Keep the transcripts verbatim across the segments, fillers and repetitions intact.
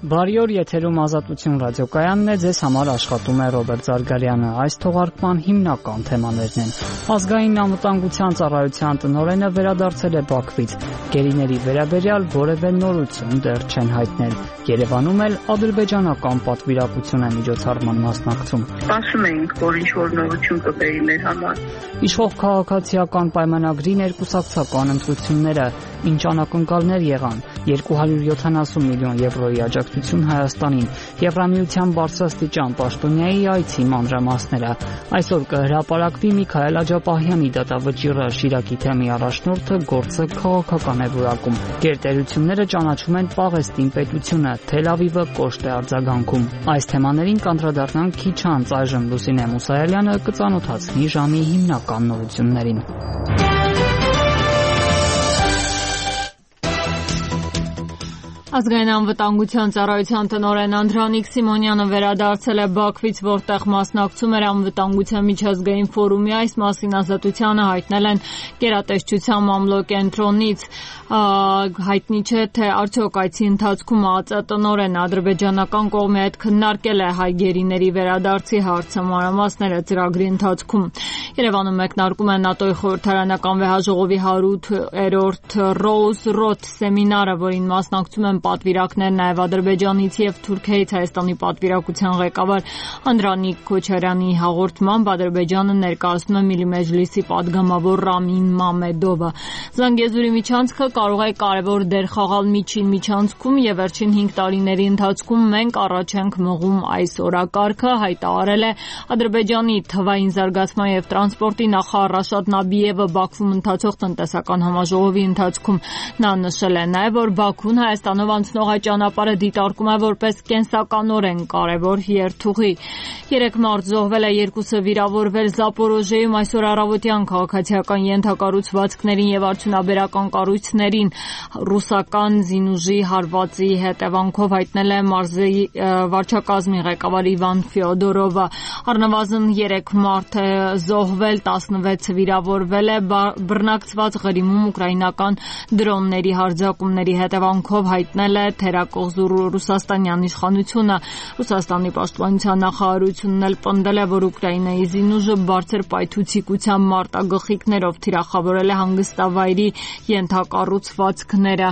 Բարի օր, եթերում Ազատություն ռադիոկայանն է, ձեզ համար աշխատում է Ռոբերտ Զարգարյանը։ Այս թողարկման հիմնական թեմաներն են. Ազգային անվտանգության ծառայության տնօրենը վերադարձել է Բաքվից, գերիների վերաբերյալ որևէ նորություն դեռ չեն հայտնել։ Երևանում էլ ադրբեջանական պատվիրակություն է միջոցառման մասնակցում։ Ասում էինք, որ ինչ-որ նորություն կբերի մեր համար։ Իշխող քաղաքացիական պայմանագրի ներկուսակցական ընտրությունները ինչ անակնկալներ եղան, երկու հարյուր յոթանասուն միլիոն եվրոյի աջակցություն Հայաստանին, Եվրամիության բարձրաստիճան պաշտոնյայի այցի մանրամասները։ Այսօր կհրապարակվի Միքայել Աջապահյանի դատավճիռը, Շիրակի թեմի առաջնորդը գործը քաղաքական է որակում։ Գերտերությունները ճանաչում են Պաղեստին պետությունը, Թել Ավիվը կոշտ է արձագանքում։ Այս թեմաներին կանդրադառնանք քիչ անց, այժմ Լուսինե Մուսայելյանը կծանոթացնի ժամի հիմնական նորություններին։ Ազգային անվտանգության ծառայության տնօրեն Անդրանիկ Սիմոնյանը վերադարձել է Բաքվից, որտեղ մասնակցում էր անվտանգության միջազգային ֆորումի։ Այս մասին Ազատությանը հայտնել են գերատեսչության մամլոկենտրոնից։ Հայտնի չէ, թե արդյոք այցի ընթացքում ԱԾ տնօրենը ադրբեջանական կողմի հետ քննարկել է հայ գերիների վերադարձի հարցը, մանրամասները ծրագրի ընթացքում։ Երևանում մեկնարկում է ՆԱՏՕ-ի խորհրդարանական վեհաժողովի հարյուրերորդ Rose Road սեմինարը, որին մասնակցում են պատվիրակներ նաև Ադրբեջանից եւ Թուրքիայից։ Հայաստանի պատվիրակության ղեկավար Անդրանիկ Քոչարյանի հաղորդմամբ Ադրբեջանը ներկայացնում է Միլիմեջլիսի падգամավոր Ռամին Մամեդովը։ Զանգեզուրի միջանցքը կարող է կարևոր դեր խաղալ միջին միջանցքում եւ վերջին հինգ տարիների ընթացքում մենք առաջ ենք մղում այս օրակարգը, հայտարարել է Ադրբեջանի թվային զարգացման եւ տրանսպորտի նախարար Ռաշադ Նաբիևը Բաքվում ընթացող տնտեսական համաժողովի ընթացքում։ Նա նշել է նաեւ, որ Բաքուն Հայաստանով անցնող այդ ճանապարհը դիտարկում է որպես կենսականորեն կարևոր երթուղի։ Երեք մարդ զոհվել է, երկուսը վիրավորվել Զապորոժիայում այսօր առավոտյան քաղաքացիական ենթակառուցվածքներին եւ արդյունաբերական կառույցներին ռուսական զինուժի հարվածի հետևանքով, հայտնել է մարզի վարչակազմի ղեկավար Իվան Ֆյոդորովը։ Առնվազն երեք մարդ է զոհվել, տասնվեցը վիրավորվել է բռնակցված Ղրիմում ուկրաինական դրոնների հարձակումների հետևանքով, հայտնել է թերակղզու ռուսաստանյան իշխանությունը։ Ռուսաստանի պաշտպանության նախարարությունն էլ պնդել է, որ Ուկրաինայի զինուժը բարձր պայթուցիկության մարտագլխիկներով թիրախավորել է հանգստավայրի ենթակառուցվածքները։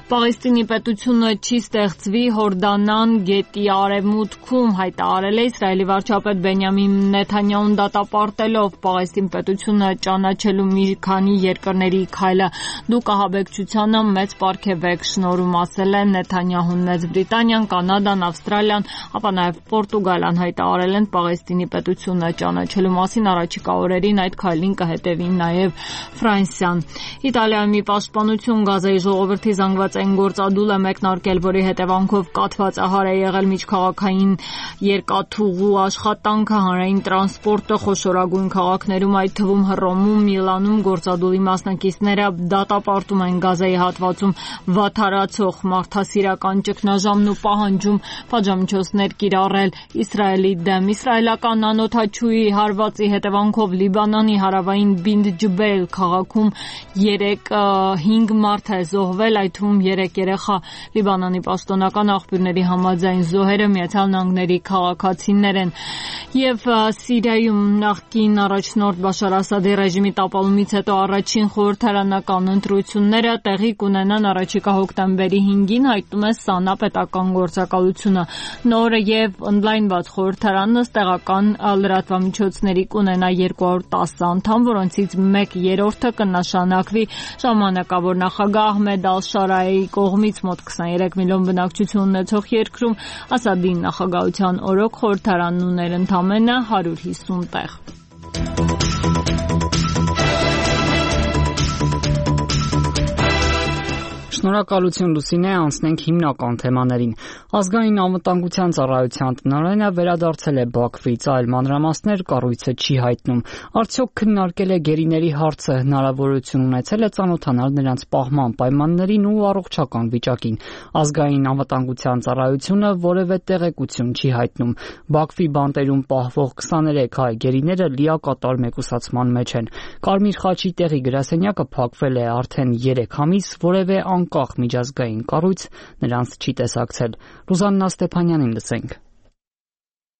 Պաղեստինի պետությունը չի ստեղծվի Հորդանան գետի արևմուտքում, հայտարարել է Իսրայելի վարչապետ Բենյամին Նեթանյահուն դատապարտելով Պաղեստին պետությունը ճանաչելու մի քանի երկրների քայլը։ Դուք ահաբեկչությանը մեծ պարգև եք շնորհում, ասել է Նեթանյահուն։ Մեծ Բրիտանիան, Կանադան, Ավստրալիան, ապա նաև Պորտուգալիան հայտարարել են Պաղեստինի պետությունը ճանաչելու մասին։ Առաջիկա օրերին այդ քայլին կհետևի նաև Ֆրանսիան։ Իտալիայում մի պաշտպանություն Գազայի ժողովրդի զանգվածային գործադուլ է մեկնարկել, որի հետևանքով կաթվածահար է եղել միջքաղաքային երկաթուղու աշխատանքը, հանրային տրանսպորտը խոշորագույն քաղաքներում, այդ թվում Հռոմում, Միլանում գործադուլի մասնակիցները դատապարտում են Գազայի հատվածում վատթարացող մարդասիրական ճգնաժամն ու պահանջում պատժամիջոցներ կիրառել Իսրայելի դեմ։ Իսրայելական անօդաչուի հարվածի հետևանքով Լիբանանի հարավային Բինդ Ջբեյլ քաղաքում երեք հինգ մարդ է զոհվել, այդ թվում երեք երեխա։ Լիբանանի պաշտոնական աղբյուրների համաձայն զոհերը Միացյալ Նահանգների քաղաքացիներ են։ Եվ Սիրիայում նախկին առաջնորդ Բաշար Ասադի ռեժիմի տապալումից հետո առաջին խորհրդարանական ընտրությունները տեղի կունենան առաջիկա հոկտեմբերի հինգին, հայտնում է ՍԱՆԱ պետական գործակալությունը։ Նոր եւ ընդլայնված խորհրդարանը տեղական լրատվամիջոցների կունենա երկու հարյուր տասը անդամ, որոնցից մեկ երրորդը կնշանակվի ժամանակավոր նախագահ Ահմեդ Ալ-Շարայի կողմից մոտ քսաներեք միլիոն բնակչություն ունեցող երկրում Ասադի նախագահության օրոք խորհրդարանն ուներ ընդամենը հարյուր հիսուն տեղ։ Շնորհակալություն Լուսինե, անցնենք հիմնական թեմաներին։ Ազգային անվտանգության ծառայության տնօրենը վերադարձել է Բաքվից, այլ մանրամասներ կառույցը չի հայտնում։ Արդյոք քննարկել է գերիների հարցը, հնարավորություն ունեցել է ծանոթանալ նրանց պահման պայմաններին ու առողջական վիճակին։ Ազգային անվտանգության ծառայությունը որևէ տեղեկություն չի հայտնում։ Բաքվի բանտերում պահվող քսաներեք հայ գերիները լիակատար մեկուսացման մեջ են։ Կարմիր խաչի տեղի գրասենյակը փակվել է արդեն երեք ամիս, որևէ անկախ միջազգային կառույց նրանց չի տեսակցել։ Ռուզաննա Ստեփանյանին լսենք։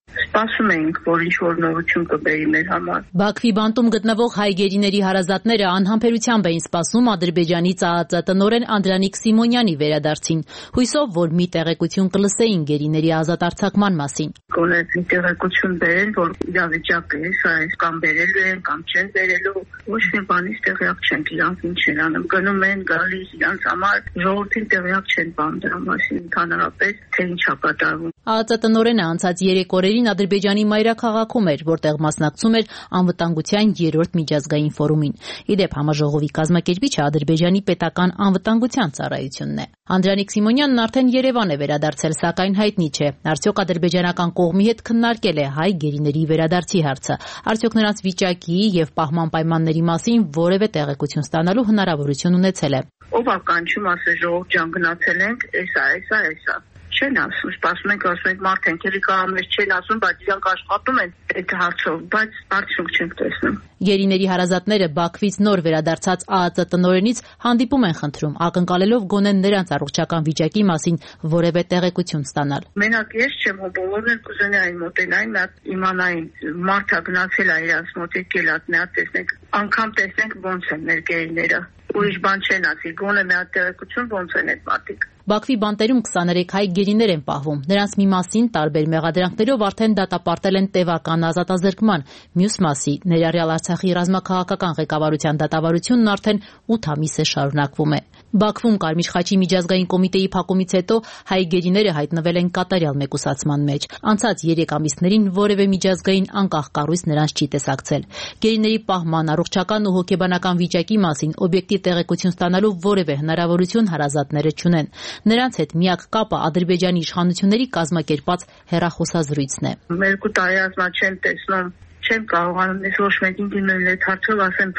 Սպասում ենք, որ ինչ-որ նորություն կբերի մեր համար։ Բաքվի բանտում գտնվող հայ գերիների հարազատները անհամբերությամբ էին սպասում Ադրբեջանի ԾԱԱԾ տնօրեն Անդրանիկ Սիմոնյանի վերադարձին, հույսով, որ մի տեղեկություն կլսեին գերիների ազատ արձակման մասին։ Գոնե մի տեղեկություն բերեն, որ իրավիճակը է, սա է, կամ բերելու են, կամ չեն բերելու, ոչ մի բանից տեղյակ չենք, իրանք ինչ են անում, գնում են, գալիս, իրանք համար ժողովրդին տեղյակ չեն բան դրա մասին, ընդհանրապես թե ինչ է կատարվում։ ԱԱԾ տնօրենը անցած երեք օրերին Ադրբեջանի մայրաքաղաքում էր, որտեղ մասնակցում էր անվտանգության երրորդ միջազգային ֆորումին։ Իդեպ համաժողովի կազմակերպիչը Ադրբեջանի պետական անվտանգության ծառայությունն է։ Անդրանիկ Սիմոնյանն արդեն Երևան է վերադարձել, սակայն հայտնի չէ, արդյոք ադրբեջանական կողմի հետ քննարկել է հայ գերիների վերադարձի հարցը, արդյոք նրանց վիճակի եւ պահման պայմանների մասին որևէ տեղեկություն ստանալու հնարավորություն ունեցել է։ Ով է կանչում, ասել ժողովուրդ ջան գնացել ենք, էսա, էսա, էսա։ Չեն ասում, սպասում ենք, ասում ենք մարդենք էլի կարամներ չեն ասում, բայց իրանք աշխատում են այդ հարցով, բայց արդյունք չենք տեսնում։ Գերիների հարազատները Բաքվից նոր վերադարձած ԱԱԾ տնօրենից հանդիպում են խնդրում, ակնկալելով գոնե նրանց առողջական վիճակի մասին որևէ տեղեկություն ստանալ։ Մենակ ես չեմ, բոլորն էլ կուզենային մոտենային, իմանային, մարդը գնացել է իրանց մոտ, եկել է, նա տեսնենք, անգամ տեսնենք ոնց են մեր գերիները։ Ուրիշ բան չեն ասի, գոնե մի հատ տեղեկություն ոնց են այդ մարդիկ։ Բաքվի բանտերում քսաներեք հայ գերիներ են պահվում։ Նրանց մի մասին տարբեր մեղադրանքներով արդեն դատապարտել են տևական ազատազրկման, մյուս մասի ներառյալ Արցախի ռազմաքաղաքական ղեկավարության դատավարությունն արդեն ութ ամիս է շարունակվում է։ Բաքվում Կարմիր խաչի միջազգային կոմիտեի փակումից հետո հայ գերիները հայտնվել են կատարյալ մեկուսացման մեջ։ Անցած երեք ամիսներին որևէ միջազգային անկախ կառույց նրանց չի տեսակցել։ Գերիների պահման, առողջական ու հոգեբանական վիճակի մասին օբյեկտիվ տեղեկություն ստանալու որևէ հնարավորություն հարազատները չունեն։ Նրանց հետ միակ կապը Ադրբեջանի իշխանությունների կազմակերպած հեռախոսազրույցն է։ Երկու տարի ասма չեմ տեսնում, չեմ կարողանում ես ոչ մեկին դիմել այդ հարցով, ասեմ,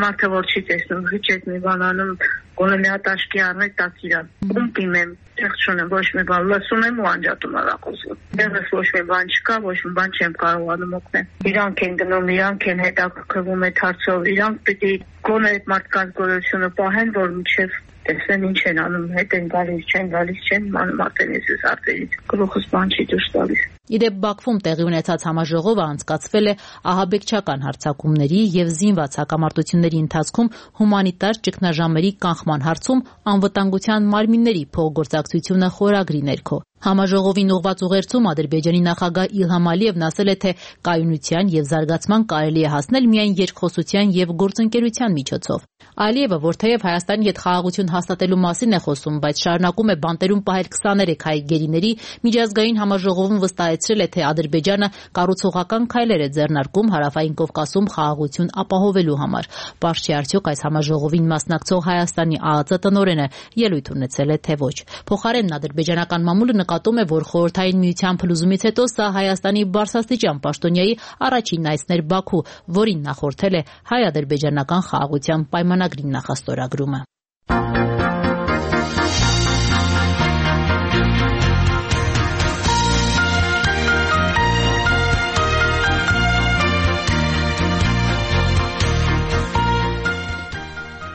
մարդը որ չի տեսնում, հիչ այդ մի բան անում, գոնե մի հատ աշկի առնել տաք իրան։ Ում դիմեմ, տեղ չունեմ, ոչ մի բան, լսում եմ ու անջատում հեռախոսը։ Տեղս ոչ մի բան չկա, ոչ մի բան չեմ կարողանում օգնել։ Իրանք են գնում, իրանք են հետաքրքրվում այդ հարցով, իրանք պիտի գոնե այդ մարդկանց գոյությունը պահեն, որ մինչև տեսնեն ինչ են անում, հետ են գալիս, չեն գալիս, չեն մանում արդեն ես արդերից, գլուխս բան չի դուրս տալիս։ Իդեպ Բաքվում տեղի ունեցած համաժողովը անցկացվել է ահաբեկչական հարձակումների եւ զինված հակամարտությունների ընթացքում հումանիտար ճգնաժամերի կանխման հարցում անվտանգության մարմինների փոխգործակցությունը խորագրի ներքո։ Համաժողովին ուղղված ուղերձում Ադրբեջանի նախագահ Իլհամ Ալիևն ասել է, թե կայունության եւ զարգացման կարելի է հասնել միայն երկխոսության եւ գործընկերության միջոցով։ Ալիևը, որ թեև Հայաստանի հետ խաղաղություն հաստատելու մասին է խոսում, բայց շարունակում է բանտերում պահել քսաներեք հայ գերիների, միջազգային համաժողովում վստահեցրել է, թե Ադրբեջանը կառուցողական քայլեր է ձեռնարկում Հարավային Կովկասում խաղաղություն ապահովելու համար։ Պարզ չի արդյոք այս համաժողովին մասնակցող Հայաստանի ԱԱԾ տնօրենը ելույթ ունեցել է, թե ոչ։ Փոխարենն ադրբեջանական մամուլը նկատում է, որ Խորհրդային Միության փլուզումից հետո սա Հայաստանի բարձրաստիճան պաշտոնյայի առաջին այցն էր Բաքու, որին նախորդել է հայ-ադրբեջանական խաղաղության պայմանագրի նախաստորագրումը։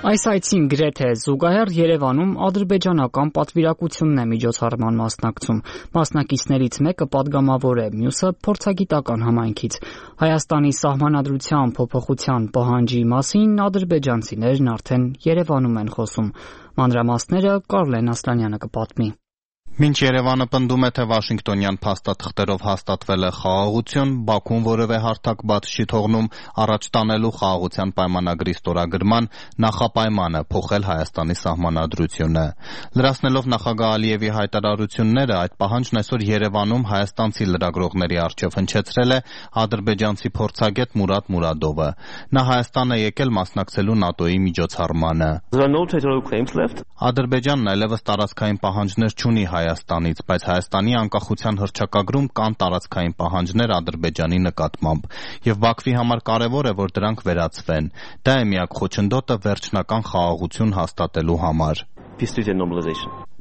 Այս այցին գրեթե զուգահեռ Երևանում ադրբեջանական պատվիրակությունն է միջոցառման մասնակցում։ Մասնակիցներից մեկը падգամավոր է, մյուսը փորձագիտական համայնքից։ Հայաստանի սահմանադրության փոփոխության պահանջի մասին ադրբեջանցիներն արդեն Երևանում են խոսում։ Մանրամասները Կարլեն Ասլանյանը կպատմի։ Մինչ Երևանը պնդում է, թե Վաշինգտոնյան փաստաթղթերով հաստատվել է խաղաղություն, Բաքուն որևէ հարթակ բաց չի թողնում առաջ տանելու խաղաղության պայմանագրի ստորագրման նախապայմանը փոխել Հայաստանի սահմանադրությունը։ Լրացնելով նախագահ Ալիևի հայտարարությունները, այդ պահանջն այսօր Երևանում հայաստանցի լրագրողների առջև հնչեցրել է ադրբեջանցի փորձագետ Մուրադ Մուրադովը։ Նա Հայաստան է եկել մասնակցելու ՆԱՏՕ-ի միջոցառմանը։ Ադրբեջանն այլևս տարածքային պահանջներ չունի Հայաստանից, բայց Հայաստանի անկախության հռչակագրում կան տարածքային պահանջներ Ադրբեջանի նկատմամբ, եւ Բաքվի համար կարեւոր է, որ դրանք վերացվեն։ Դա է միակ խոչընդոտը վերջնական խաղաղություն հաստատելու համար։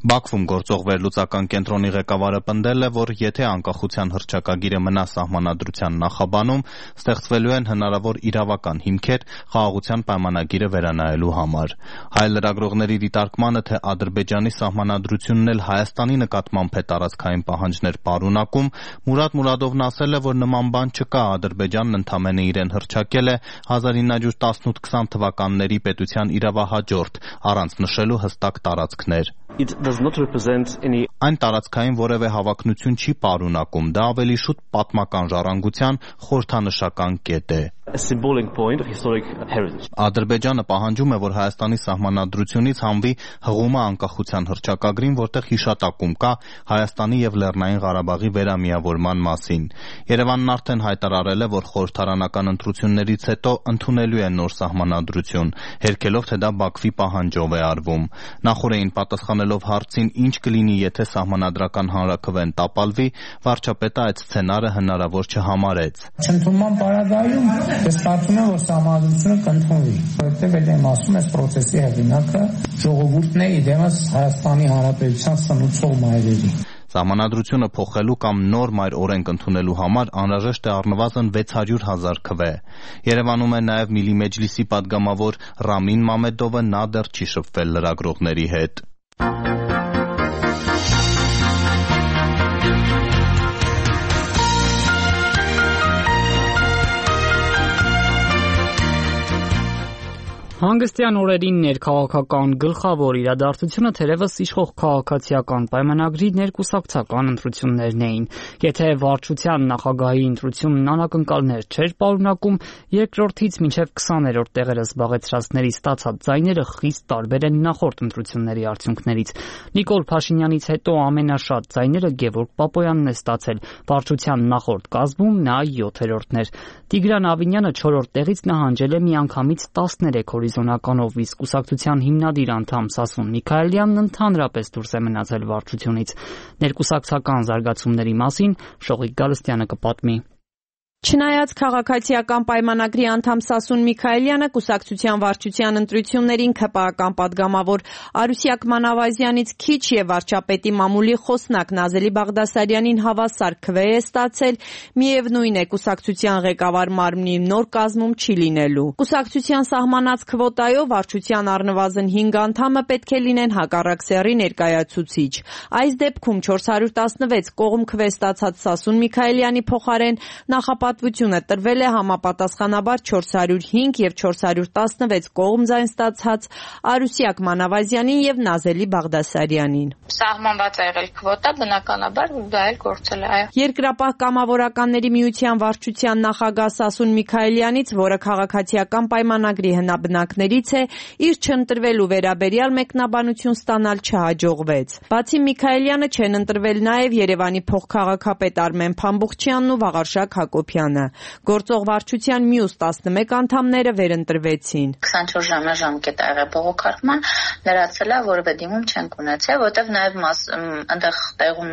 Բաքվում գործող վերլուծական կենտրոնի ղեկավարը պնդել է, որ եթե անկախության հռչակագիրը մնա Սահմանադրության նախաբանում, ստեղծվելու են հնարավոր իրավական հիմքեր խաղաղության պայմանագիրը վերանայելու համար։ Հայ լրագրողների դիտարկմանը, թե Ադրբեջանի Սահմանադրությունն էլ Հայաստանի նկատմամբ է տարածքային պահանջներ պարունակում, Մուրադ Մուրադովն ասել է, որ նման բան չկա, Ադրբեջանն ընդամենը իրեն հռչակել է հազար ինը հարյուր տասնութ քսան թվականների պետության իրավահաջորդ, առանց նշելու հստակ տարածքներ։ Any... Այն տարածքային որևէ հավակնություն չի պարունակում, դա ավելի շուտ պատմական ժառանգության խորհրդանշական կետ է։ Ադրբեջանը պահանջում է, որ Հայաստանի Սահմանադրությունից հանվի հղումը անկախության հռչակագրին, որտեղ հիշատակում կա Հայաստանի և Լեռնային Ղարաբաղի վերամիավորման մասին։ Երևանն արդեն հայտարարել է, որ խորհրդարանական ընտրություններից հետո ընդունելու է նոր Սահմանադրություն, հերքելով, թե դա Բաքվի պահանջով է արվում։ Նախօրեին պատասխանելով հարցին, ինչ կլինի, եթե Սահմանադրական հանրաքվեն տապալվի, վարչապետը այդ սցենարը հնարավոր չհամարեց։ Չընդունման պարագայում ես կարծում եմ, որ Սահմանադրությունը կընդունվի, որովհետև էլ եմ ասում, այս պրոցեսի հեղինակը ժողովուրդն է, իդեմս Հայաստանի Հանրապետության սնուցող մայրերի։ Սահմանադրությունը փոխելու կամ նոր մայր օրենք ընդունելու համար անհրաժեշտ է առնվազն վեց հարյուր հազար քվե։ Երևանում է նաև Միլի Մեջլիսի падգամավոր Ռամին Մամեդովը, նա դեռ չի շփվել լրագրողների հետ։ Հանգստյան օրերին ներքաղաքական գլխավոր իրադարձությունը թերևս իշխող քաղաքացիական պայմանագրի ներկուսակցական ընտրություններն էին։ Եթե վարչության նախագահի ընտրությունն անակնկալներ չէր պարունակում, երկրորդից մինչև քսաներորդ տեղերը զբաղեցրածների ստացած ձայները խիստ տարբեր են նախորդ ընտրությունների արդյունքներից։ Նիկոլ Փաշինյանից հետո ամենաշատ ձայները Գևորգ Պապոյանն է ստացել, վարչության նախորդ կազմում նա յոթերորդն էր։ Տիգրան Ավինյանը չորրորդ տեղից նահանջել է միանգամից տասներեք հորիզոնականով, իսկ կուսակցության հիմնադիր անդամ Սասուն Միքայելյանն ընդհանրապես դուրս է մնացել վարչությունից։ Ներկուսակցական զարգացումների մասին Շողիկ Գալստյանը կպատմի։ Չնայած քաղաքացիական պայմանագրի անդամ Սասուն Միքայելյանը կուսակցության վարչության ընտրություններին ՔՊԱ-ական падգամավոր Արուսյակ Մանավազյանից քիչ եւ վարչապետի մամուլի խոսնակ Նազելի Բաղդասարյանին հավասար քվե է ստացել, միևնույն է կուսակցության ղեկավար մարմնի նոր կազմում չի լինելու։ Կուսակցության սահմանած քվոտայով վարչության առնվազն հինգ անդամը պետք է լինեն հակառակ սեռի ներկայացուցիչ։ Այս դեպքում չորս հարյուր տասնվեց կողմ քվե ստացած Սասուն Միքայելյանի փոխարեն նախապա Պատվությունը տրվել է համապատասխանաբար չորս հարյուր հինգ եւ չորս հարյուր տասնվեց կողմ ձայն ստացած Արուսյակ Մանավազյանին եւ Նազելի Բաղդասարյանին։ Սահմանված է եղել քվոտա, բնականաբար դա էլ գործել է, այո։ Երկրապահ կամավորականների միության վարչության նախագահ Սասուն Միքայելյանից, որը քաղաքացիական պայմանագրի հնաբնակներից է, իր չընտրվելու վերաբերյալ մեկնաբանություն ստանալ չհաջողվեց։ Բացի Միքայելյանը չեն ընտրվել նաեւ Երևանի փոխքաղաքապետ Արմեն Փամբուխչյանն ու Վաղարշակ Հակոբյանը։ Գործող վարչության մյուս տասնմեկ անդամները վերընտրվեցին։ քսանչորս ժամյա ժամկետ ա եղել բողոքարկման, լրացել է, որևէ դիմում չենք ունեցել, որտեղ նաև այնտեղ տեղում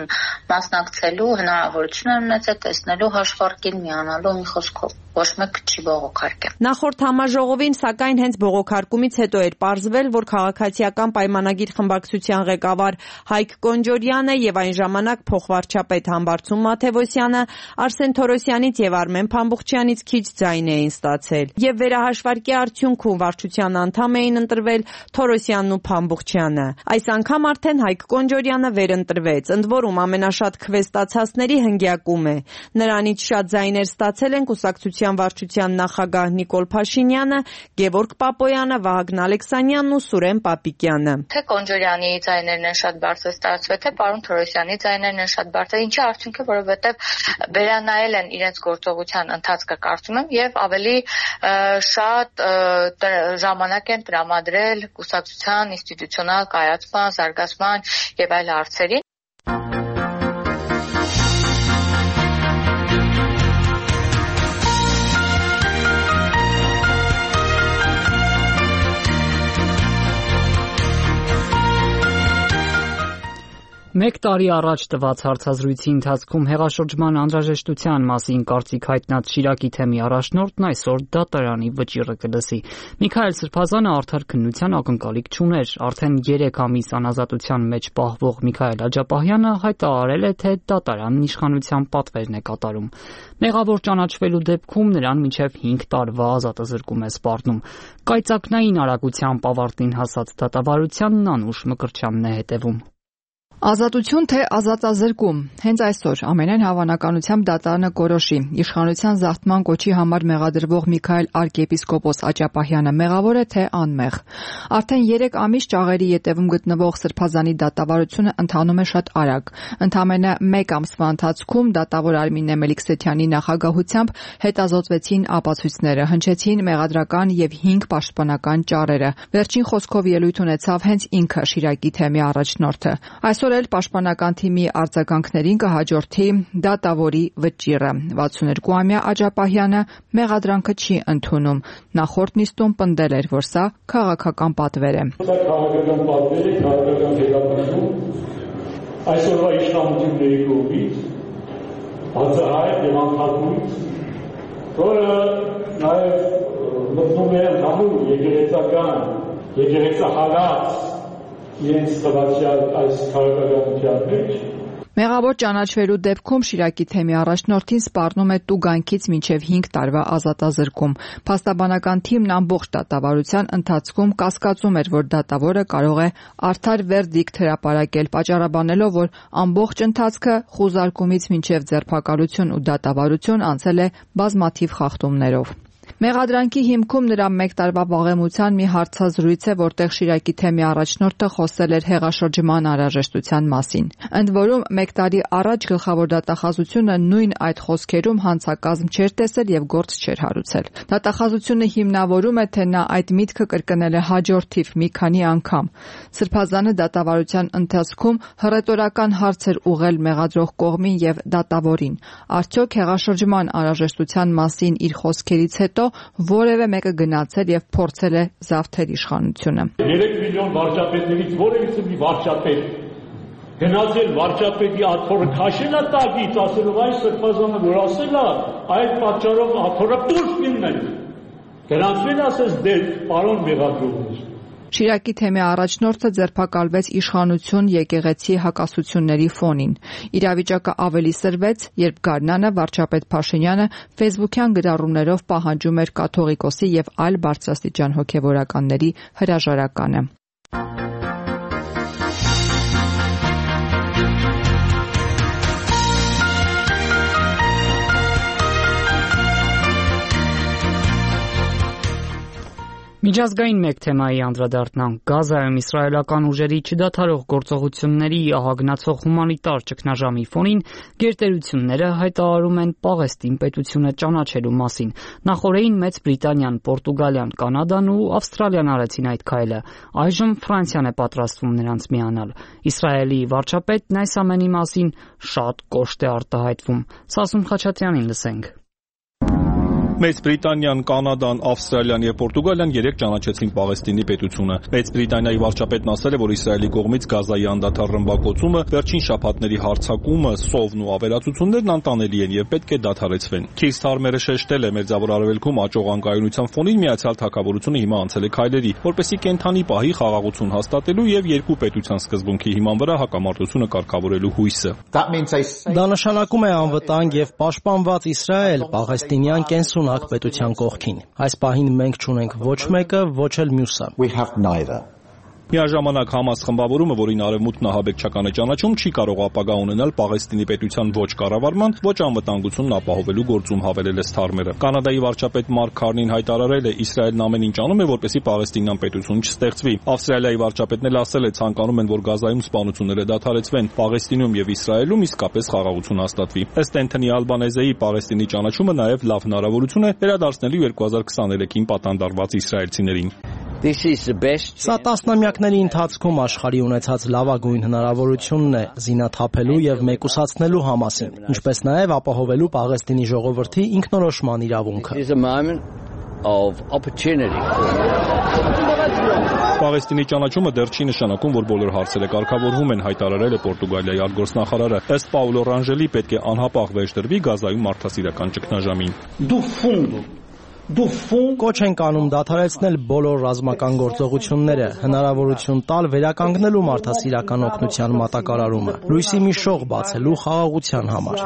մասնակցելու հնարավորություն են ունեցել, տեսնելու հաշվարկին, միանալու մի խոսքով։ Ոչ մեկ չի բողոքարկել։ Նախորդ համաժողովին, սակայն, հենց բողոքարկումից հետո էր պարզվել, որ քաղաքացիական պայմանագիր խմբակցության ղեկավար Հայկ Կոնջորյանը եւ այն ժամանակ փոխվարչապետ Համբարձում Մաթևոսյանը Արսեն Թորոսյանից եւ Արմեն Փամբուխչյանից քիչ ձայն էին ստացել։ Եվ վերահաշվարկի արդյունքում վարչության անդամ էին ընտրվել Թորոսյանն ու Փամբուխչյանը։ Այս անգամ արդեն Հայկ Կոնջորյանը վերընտրվեց, ընդ որում ամենաշատ քվե ստացածների հնգյակում է։ Նրանից շատ ձայներ ստացել են կուսակցության վարչության նախագահ Նիկոլ Փաշինյանը, Գևորգ Պապոյանը, Վահագն Ալեքսանյանն ու Սուրեն Պապիկյանը։ Թե Կոնջորյանի ձայներն են շատ բարձր ստացվել, թե պարոն Թորոսյանի ձայներն են շատ բարձր, ինչի արդյունք է, որովհետև վերանայել են իրենց գործողության ընթացքը, կարծում եմ, եւ ավելի շատ ժամանակ են տրամադրել կուսակցության ինստիտուցիոնալ կայացման, զարգացման եւ այլ հարցերին։ Մեկ տարի առաջ տված հարցազրույցի ընթացքում հեղաշրջման անհրաժեշտության մասին կարծիք հայտնած Շիրակի թեմի առաջնորդն այսօր դատարանի վճիռը կլսի։ Միքայել Սրբազանը արդար քննության ակնկալիք չուներ։ Արդեն երեք ամիս անազատության մեջ պահվող Միքայել Աջապահյանը հայտարարել է, թե դատարանն իշխանության պատվերն է կատարում։ Մեղավոր ճանաչվելու դեպքում նրան մինչև հինգ տարվա ազատազրկում է սպառնում։ Կայծակնային արագությամբ ավարտին հասած դատավարությանն Անուշ Մկրտչյանն է հետևում։ Ազատություն թե ազատազրկում։ Հենց այսօր ամենայն հավանականությամբ դատարանը կորոշի իշխանության զարթման կոչի համար մեղադրվող Միքայել arczepiskopos Աջապահյանը մեղավոր է թե անմեղ։ Արդեն երեք ամիս ճաղերի ետևում գտնվող Սրբազանի դատավարությունը ընթանում է շատ արագ։ Ընդամենը մեկ ամսվա ընթացքում դատավոր Արմինե Մելիքսեթյանի նախագահությամբ հետազոտվեցին ապացույցները, հնչեցին մեղադրական եւ հինգ պաշտպանական ճառերը։ Վերջին խոսքով ելույթ ունեցավ հենց ինքը Շիրակի թեմի առաջնորդը։ Այսօր էլ պաշտպանական թիմի արձագանքներին կհաջորդի դատավորի վճիռը։ վաթսունհինգամյա Աջապահյանը մեղադրանքը չի ընդունում։ Նախորդ նիստում պնդել էր, որ սա քաղաքական պատվեր է։ Սա քաղաքական պատվեր է, քաղաքական հետապնդում այսօրվա իշխանությունների կողմից բացահայտ եւ անթափույց, որը նաեւ մտնում է ընդհանուր եկեղեցական, եկեղեցահարած իրենց տվյալ այս քաղաքականության մեջ։ Մեղավոր ճանաչվելու դեպքում Շիրակի թեմի առաջնորդին սպառնում է տուգանքից մինչև հինգ տարվա ազատազրկում։ Փաստաբանական թիմն ամբողջ դատավարության ընթացքում կասկածում էր, որ դատավորը կարող է արդար վերդիկտ հրապարակել, պատճառաբանելով, որ ամբողջ ընթացքը խուզարկումից մինչև ձերբակալություն ու դատավարություն անցել է բազմաթիվ խախտումներով։ Մեղադրանքի հիմքում նրա մեկ տարվա վաղեմության մի հարցազրույց է, որտեղ Շիրակի թեմի առաջնորդը խոսել էր հեղաշրջման անհրաժեշտության մասին։ Ընդ որում, մեկ տարի առաջ գլխավոր դատախազությունը նույն այդ խոսքերում հանցակազմ չէր տեսել եւ գործ չէր հարուցել։ Դատախազությունը հիմնավորում է, թե նա այդ միտքը կրկնել է հաջորդ թիվ մի քանի անգամ։ Սրբազանը դատավարության ընթացքում հռետորական հարց էր ուղղել մեղադրող կողմին եւ դատավորին։ Արդյոք հեղաշրջման անհրաժեշտության մասին իր խոսքերից հետո որևէ մեկը գնացել եւ փորձել է զավթել իշխանությունը։ երեք միլիոն վարչապետներից որևիցե մի վարչապետ գնացել վարչապետի աթոռը քաշել է տակից, ասելով այս Սրբազանը որ ասել է, այդ պատճառով աթոռը դուրս մինեն։ Գնացել ասես դե պարոն մեղադրողներ։ Շիրակի թեմի առաջնորդը ձերբակալվեց իշխանություն եկեղեցի հակասությունների ֆոնին։ Իրավիճակը ավելի սրվեց, երբ Գարնանը վարչապետ Փաշինյանը ֆեյսբուքյան գրառումներով պահանջում էր կաթողիկոսի եւ այլ բարձրաստիճան հոգեվորականների հրաժարականը։ Միջազգային մեկ թեմայի անդրադառնանք։ Գազայում իսրայելական ուժերի չդադարող գործողությունների ահագնացող հումանիտար ճգնաժամի ֆոնին գերտերությունները հայտարարում են Պաղեստին պետությունը ճանաչելու մասին։ Նախորդին Մեծ Բրիտանիան, Պորտուգալիան, Կանադան ու Ավստրալիան արեցին այդ քայլը։ Այժմ Ֆրանսիան է պատրաստվում նրանց միանալ։ Իսրայելի վարչապետն այս ամենի մասին շատ կոշտ է արտահայտվում։ Սասուն Խաչատրյանին լսենք։ Մեծ Բրիտանիան, Կանադան, Ավստրալիան եւ Պորտուգալիան երեք ճանաչեցին Պաղեստինի պետությունը։ Մեծ Բրիտանիայի վարչապետն ասել է, որ Իսրայելի կողմից Գազայի անդադար ռմբակոծումը, վերջին շաբաթների հարձակումը, սովն ու ավերածություններն անտանելի են եւ պետք է դադարեցվեն։ Քիր Սթարմերը շեշտել է, Մերձավոր Արևելքում աճող անկայունության ֆոնին Միացյալ Թագավորությունը հիմա անցել է քայլերի, որպեսզի կենթանի պահի խաղաղություն հաստատելու եւ երկու պետության սկզբունքի հիման վրա հակամարտությունը կարգավորելու հույսը։ Դա նշանակում է անվտանգ եւ պաշտպանված Իսրայել, Պաղեստինյան կենսուն պետության կողքին։ Այս պահին մենք չունենք ոչ մեկը, ոչ էլ մյուսը։ Միաժամանակ Համաս խմբավորումը, որին Արևմուտքն ահաբեկչական է ճանաչում, չի կարող ապագա ունենալ Պաղեստինի պետության ոչ կառավարման, ոչ անվտանգությունն ապահովելու գործում, հավելել է Սթարմերը։ Կանադայի վարչապետ Մարկ Քարնին հայտարարել է, Իսրայելն ամեն ինչ անում է, որպեսզի Պաղեստինյան պետություն չստեղծվի։ Ավստրալիայի վարչապետն էլ ասել է, ցանկանում են, որ Գազայում սպանությունները դադարեցվեն, Պաղեստինում եւ Իսրայելում իսկապես խաղաղություն հաստատվի։ Ըստ Էնթոնի Ալբանեզեի Պաղեստինի ճանաչումը նաեւ լավ հնարավորություն է վերադարձնելու երկու հազար քսաներեքին պատանդարված իսրայելցիներին։ Սա տասնամյակների ընթացքում աշխարհի ունեցած լավագույն հնարավորությունն է զինաթափելու եւ մեկուսացնելու Համասին, ինչպես նաեւ ապահովելու Պաղեստինի ժողովրդի ինքնորոշման իրավունքը։ of opportunity. Պաղեստինի ճանաչումը դեռ չի նշանակում, որ բոլոր հարցերը կարգավորվում են, հայտարարել է Պորտուգալիայի արտգործնախարարը։ Ըստ Պաուլո Ռանժելի պետք է անհապաղ վերջ դրվի Գազայում մարդասիրական ճգնաժամին։ Կոչ ենք անում դադարեցնել բոլոր ռազմական գործողությունները, հնարավորություն տալ վերականգնելու մարդասիրական օգնության մատակարարումը, լույսի մի շող բացելու խաղաղության համար։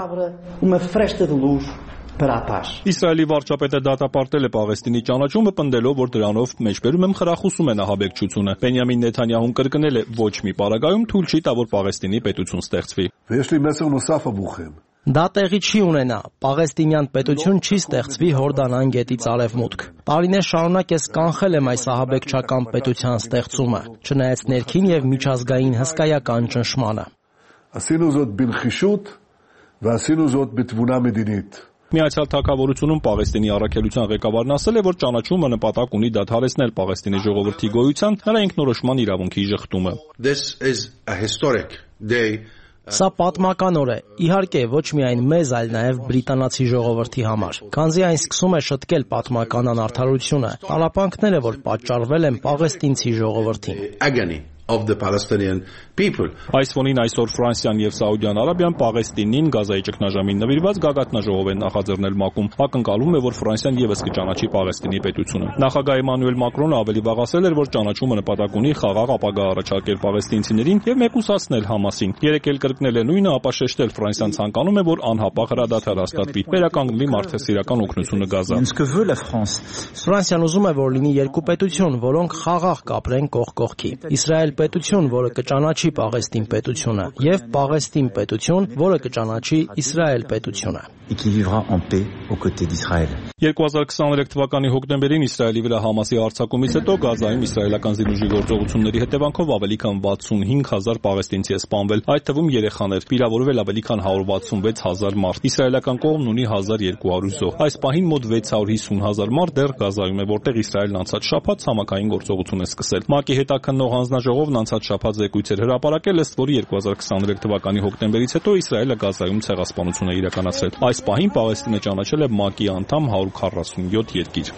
Իսրայելի վարչապետը դատապարտել է Պաղեստինի ճանաչումը, պնդելով, որ դրանով մեջբերում եմ խրախուսում է ահաբեկչությունը։ Բենյամին Նեթանյահուն կրկնել է, ոչ մի պարագայում թույլ չի տա, որ Պաղեստինի պետություն ստեղծվի։ Դա տեղի չի ունենա։ Պաղեստինյան պետություն չի ստեղծվի Հորդանան գետից արևմուտք։ Տարիներ շարունակ ես կանխել եմ այս ահաբեկչական պետության ստեղծումը, չնայած ներքին եւ միջազգային հսկայական ճնշմանը։ Միացյալ Թագավորությունում Պաղեստինի առաքելության ղեկավարն ասել է, որ ճանաչումը նպատակ ունի դադարեցնել Պաղեստինի ժողովրդի գոյության, նրա ինքնորոշման իրավունքի ժխտումը։ Սա պատմական օր է, իհարկե ոչ միայն մեզ, այլ նաև բրիտանացի ժողովրդի համար, քանզի այն սկսում է շտկել պատմական անարդարությունը, տալապանքները, որ պատճառվել են պաղեստինցի ժողովրդին։ Of the Palestinian people. Այս ֆոնին այսօր Ֆրանսիան եւ Սաուդյան Արաբիան Պաղեստինին Գազայի ճգնաժամին նվիրված գագաթնաժողով են նախաձեռնել ՄԱԿ-ում։ Ակնկալվում է, որ Ֆրանսիան եւս կճանաչի Պաղեստինի պետությունը։ Նախագահ Էմանուել Մակրոնը ավելի վաղ ասել էր, որ ճանաչումը նպատակ ունի խաղաղ ապագա առաջարկել պաղեստինցիներին եւ մեկուսացնել Համասին։ Երեք էլ կրկնել է նույնը, ապա շեշտել Ֆրանսիան ցանկանում է, որ անհապաղ հրադադար հաստատվի, վերականգնվի մարդասիրական օգնությունը Գազա։ Ֆրանսիան ուզում է, որ լինի երկու պետություն, որոնք խաղաղ կապրեն կողք կողքի։ Իսրայել պետություն, որը կճանաչի Պաղեստին պետությունը, եւ Պաղեստին պետություն, որը կճանաչի Իսրայել պետությունը։ երկու հազար քսաներեք թվականի հոկտեմբերին Իսրայելի վրա Համասի հարձակումից հետո Գազայում իսրայելական զինուժի գործողությունների հետևանքով ավելի քան վաթսունհինգ հազար պաղեստինցի է սպանվել, այդ թվում երեխաներ, վիրավորվել ավելի քան հարյուր վաթսունվեց հազար մարդ։ Իսրայելական կողմն ունի հազար երկու հարյուր զոհ։ Այս պահին մոտ վեց հարյուր հիսուն հազար մարդ դեռ Գազայում է, որտեղ Իսրայելն անցած շաբաթ ցամաքային գործողություն է սկսել։ ՄԱԿ-ի հետաքննող հանձնաժողովն անցած շաբաթ զեկույց էր հրապարակել, ըստ որի երկու հազար քսաներեք թվականի հոկտեմբերից հետո Իսրայելը Գազայում ցեղասպանություն է իրականացրել։ Այս պահին Պաղեստինը ճանաչել է ՄԱԿ-ի անդամ հարյուր քառասունյոթ երկիր։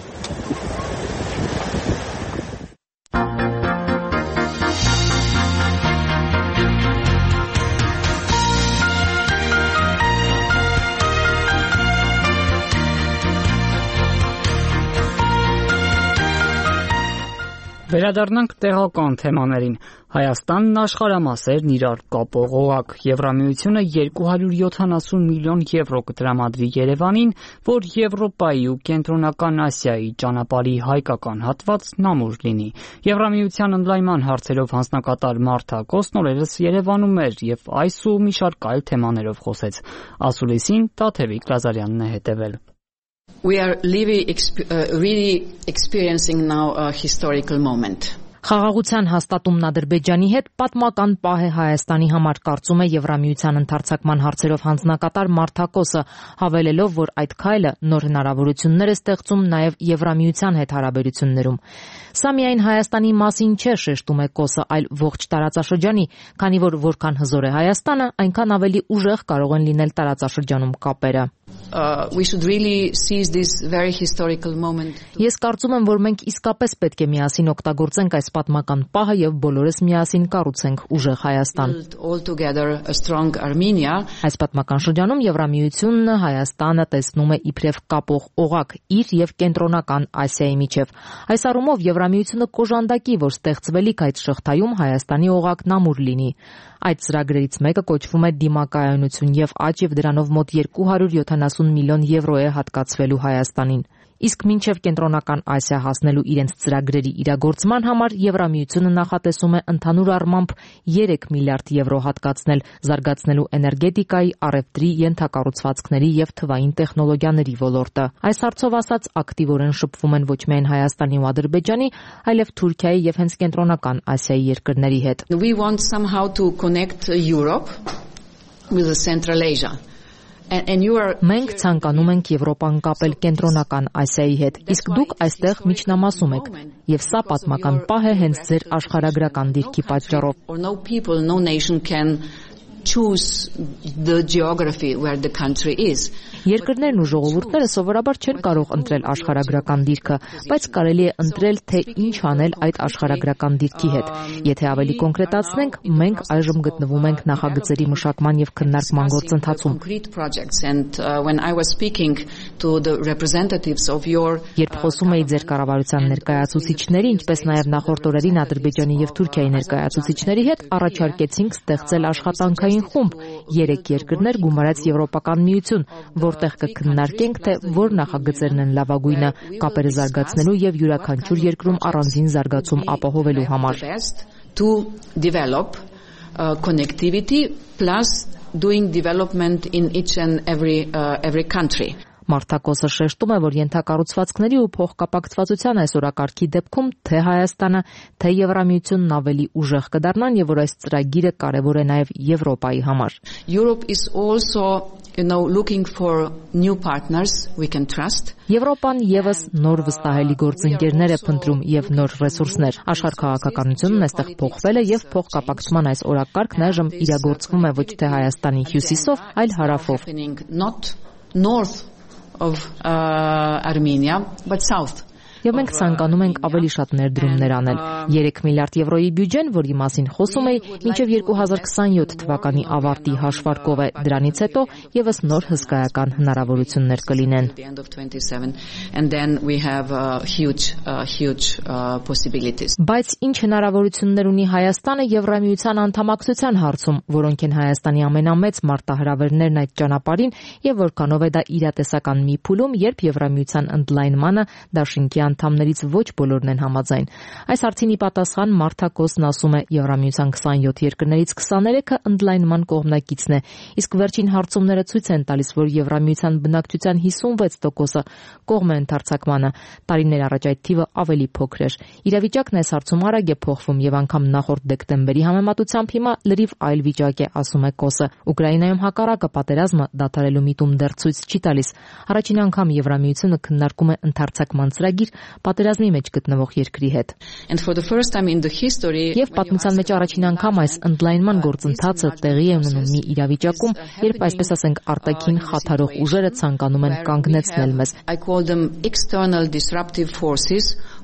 Վերադառնանք տեղական թեմաներին։ Հայաստանն աշխարհամասերն իրար կապող օղակ։ Եվրամիությունը երկու հարյուր յոթանասուն միլիոն եվրո կտրամադրի Երևանին, որ Եվրոպայի ու Կենտրոնական Ասիայի ճանապարհի հայկական հատվածն ամուր լինի։ Եվրամիության ընդլայնման հարցերով հանձնակատար Մարթա Կոսն օրերս Երևանում էր եւ այս ու մի շարք այլ թեմաներով խոսեց։ Ասուլիսին Տաթևիկ Լազարյանն է հետևել։ We are really, uh, really experiencing now a historical moment. Խաղաղության հաստատումն Ադրբեջանի հետ պատմական պահ է Հայաստանի համար, կարծում է Եվրամիության ընդարձակման հարցերով հանձնակատար Մարթա Կոսը, հավելելով, որ այդ քայլը նոր հնարավորություններ է ստեղծում նաև Եվրամիության հետ հարաբերություններում։ Սա միայն Հայաստանի մասին չէ, շեշտում է Կոսը, այլ ողջ տարածաշրջանի, քանի որ որքան հզոր է Հայաստանը, այնքան ավելի ուժեղ կարող են լինել տարածաշրջանում կապերը։ Uh, we should really seize this very historical moment. Ես կարծում եմ, որ մենք իսկապես պետք է միասին օգտագործենք այս պատմական պահը եւ բոլորս միասին կառուցենք ուժեղ Հայաստան։ All together a strong Armenia. Այս պատմական շրջանում Եվրամիությունն Հայաստանը տեսնում է իբրև կապող օղակ իր եւ Կենտրոնական Ասիայի միջև։ Այս առումով Եվրամիությունը կոժանդակի, որ ստեղծվելիք այդ շղթայում Հայաստանի օղակն ամուր լինի։ Այդ ծրագրերից մեկը կոչվում է դիմակայունություն եւ աճ եւ դրանով մոտ երկու հարյուր յոթանասուն միլիոն եվրո է հատկացվելու Հայաստանին։ Իսկ մինչև Կենտրոնական Ասիա հասնելու իրենց ծրագրերի իրագործման համար Եվրամիությունը նախատեսում է ընդհանուր առմամբ երեք միլիարդ եվրո հատկացնել զարգացնելու էներգետիկայի, առևտրի, ենթակառուցվածքների եւ թվային տեխնոլոգիաների ոլորտը։ Այս հարցով ասած ակտիվորեն շփվում են ոչ միայն Հայաստանի ու Ադրբեջանի, այլև Թուրքիայի եւ հենց Կենտրոնական Ասիայի երկրների հետ։ We want somehow to connect Europe with Central Asia. Մենք ցանկանում ենք Եվրոպան կապել Կենտրոնական Ասիայի հետ, իսկ դուք այստեղ միջնամասում եք, եւ սա պատմական պահ է հենց ձեր աշխարհագրական դիրքի պատճառով։ choose the geography where the country is. Երկրներն ու ժողովուրդները սովորաբար չեն կարող ընտրել աշխարհագրական դիրքը, բայց կարելի է ընտրել, թե ինչ անել այդ աշխարհագրական դիրքի հետ։ Եթե ավելի կոնկրետացնենք, մենք այժմ գտնվում ենք նախագծերի մշակման եւ քննարկման գործընթացում։ Երբ խոսում էի ձեր կառավարության ներկայացուցիչների, ինչպես նաեւ նախորդ օրերին Ադրբեջանի եւ Թուրքիայի ներկայացուցիչների հետ, առաջարկեցինք ստեղծել աշխատանքային խումբ երեք երկրներ գումարած Եվրոպական միություն, որտեղ կքննարկենք, թե որ նախագծերն են լավագույնը կապերը զարգացնելու եւ յուրաքանչյուր երկրում առանձին զարգացում ապահովելու համար։ To develop uh, connectivity plus doing development in each and every uh, every country. Մարտակոսը շեշտում է, որ ենթակառուցվածքների ու փոխկապակցվածության այս օրակարգի դեպքում թե Հայաստանը, թե Եվրամիությունն ավելի ուժեղ կդառնան եւ որ այս ծրագիրը կարեւոր է նաեւ Եվրոպայի համար։ Europe is also, you know, looking for new partners we can trust. Եվրոպան եւս նոր վստահելի գործընկերներ է փնտրում եւ նոր ռեսուրսներ։ Աշխարհ քաղաքականությունն այստեղ փոխվել է եւ փոխկապակցման այս օրակարգն այժմ իրագործվում է ոչ թե Հայաստանի հյուսիսով, այլ հարավով։ Not north of uh, Armenia, but south. Եվ մենք ցանկանում ենք ավելի շատ ներդրումներ անել։ երեք միլիարդ եվրոյի բյուջեն, որի մասին խոսում էի, մինչև երկու հազար քսանյոթ թվականի ավարտի հաշվարկով է, դրանից հետո եւս նոր հսկայական հնարավորություններ կլինեն։ And then we have uh, huge uh, huge uh, possibilities. Բայց ինչ հնարավորություններ ունի Հայաստանը Եվրամիության անդամակցության հարցում, որոնք են Հայաստանի ամենամեծ մարտահրավերներն այդ ճանապարհին եւ որքանով է դա իրատեսական մի փուլում, երբ Եվրամիության ընդլայնմանը դաշինքի անդամներից ոչ բոլորն են համաձայն։ Այս հարցին ի պատասխան Մարտակոսն ասում է, Եվրամիության քսանյոթ երկրներից քսաներեքը ընդլայնման կողմնակիցն է, իսկ վերջին հարցումները ցույց են տալիս, որ Եվրամիության բնակչության հիսունվեց տոկոսը կողմ է ընդարձակմանը։ Տարիներ առաջ այդ թիվը ավելի փոքր էր։ Իրավիճակն այս հարցում արագ է փոխվում եւ անգամ նախորդ դեկտեմբերի համեմատությամբ հիմա լրիվ այլ վիճակ է, ասում է Կոսը։ Ուկրաինայում հակառակը պատերազմը դադարելու միտում դեռ ցույց չի տալիս։ Առաջին անգամ Եվրամիությունը քննարկում է ընդարձակման ծրագիր պատերազմի մեջ գտնվող երկրի հետ։ Եվ պատմության մեջ առաջին անգամ այս ընդլայնման գործընթացը տեղի է ունենում մի իրավիճակում, երբ այսպես ասենք արտաքին խաթարող ուժերը ցանկանում են կանգնեցնել մեզ։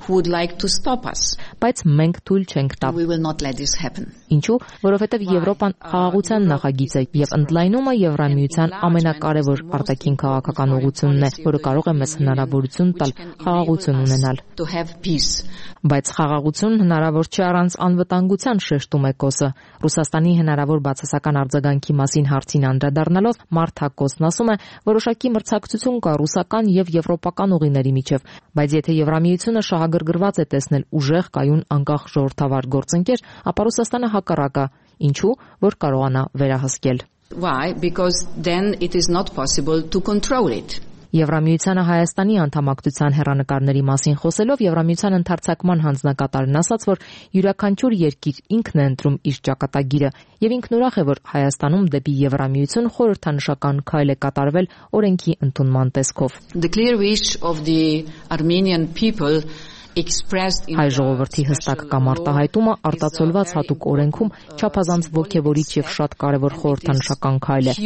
Who would like to stop us. Բայց մենք թույլ չենք տա։ We will not let this happen. Ինչու՞, որովհետև Եվրոպան խաղաղության նախագիծ է եւ ընդլայնումը Եվրամիության ամենակարևոր արտաքին քաղաքական ուղղությունն է, որը կարող է մեզ հնարավորություն տալ խաղաղություն ունենալ։ To have peace. Բայց խաղաղություն հնարավոր չէ առանց անվտանգության, շեշտում է Կոսը։ Ռուսաստանի հնարավոր բացասական արձագանքի մասին հարցին անդրադառնալով Մարտակոսն ասում է, որոշակի մրցակցություն կա ռուսական եւ եվրոպական ուղիների միջև, բայց եթե Եվրամիությունը շահագրգռված է տեսնել ուժեղ կայուն անկախ ժողովրդավար գործընկեր, ապա Ռուսաստանը հակառակը, ինչու, որ կարողանա վերահսկել։ Why? Because then it is not possible to control it. Եվրամիությանը Հայաստանի անդամակցության հեռանկարների մասին խոսելով Եվրամիության ընդարձակման հանձնակատարն ասաց, որ յուրաքանչյուր երկիր ինքն է ընտրում իր ճակատագիրը եւ ինքն ուրախ է, որ Հայաստանում դեպի Եվրամիություն խորհրդանշական քայլ է կատարվել օրենքի ընդունման տեսքով։ The clear wish of the Armenian people Հայ ժողովրդի հստակ կամ արտահայտումը արտացոլված հատուկ օրենքում չափազանց ոգևորիչ եւ շատ կարեւոր խորհրդանշական քայլ է։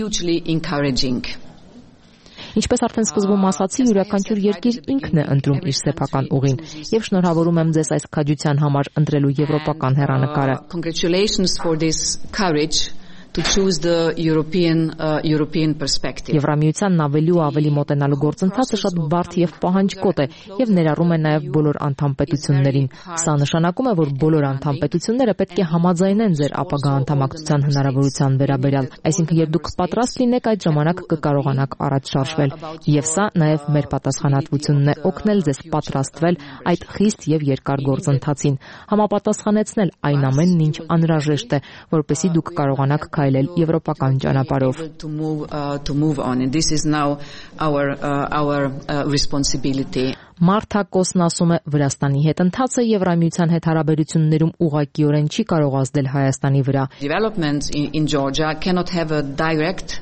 Ինչպես արդեն սկզբում ասացի, յուրաքանչյուր երկիր ինքն է ընտրում իր սեփական ուղին եւ շնորհավորում եմ ձեզ այս քաջության համար ընտրելու եվրոպական հեռանկարը։ Congratulations for this courage to choose the European uh, European perspective. Եվրամիությանն ավելի ու ավելի մոտենալու գործընթացը շատ բարդ եւ պահանջկոտ է եւ ներառում է նաեւ բոլոր անդամ պետություններին։ Սա նշանակում է, որ բոլոր անդամ պետությունները պետք է համաձայնեն ձեր ապագա անդամակցության հնարավորության վերաբերյալ, այսինքն երբ դուք պատրաստ լինեք, այդ ժամանակ կկարողանաք առաջ շարժվել։ Եվ սա նաեւ մեր պատասխանատվությունն է օգնել ձեզ պատրաստվել այդ խիստ եւ երկար գործընթացին, համապատասխանեցնել այն ամենն, ինչ անհրաժեշտ է, որպեսզի դուք կարողանաք քայլել եվրոպական ճանապարհով։ To move uh, to move on, and this is now our uh, our uh, responsibility. Մարտակոսն ասում է, Վրաստանի հետ ընթացը Եվրամիության հետ հարաբերություններում ուղղակիորեն չի կարող ազդել Հայաստանի վրա։ Developments in, in Georgia cannot have a direct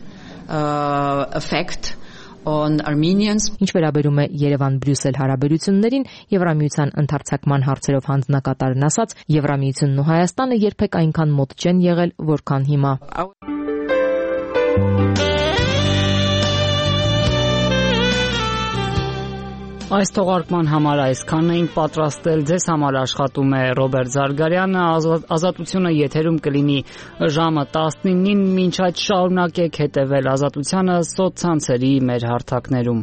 uh, effect on Armenians. Ինչ վերաբերում է Երևան-Բրյուսել հարաբերություններին, Եվրամիության ընդարձակման հարցերով հանձնակատարն ասաց, Եվրամիությունն ու Հայաստանը երբեք այնքան մոտ չեն եղել, որքան հիմա։ Այս թողարկման համար այսքանն էինք պատրաստել, ձեզ համար աշխատում է Ռոբերտ Զարգարյանը, Ազատությունը եթերում կլինի ժամը տասնինին, մինչ այդ շարունակեք հետևել Ազատությանը սոցցանցերի մեր հարթակներում։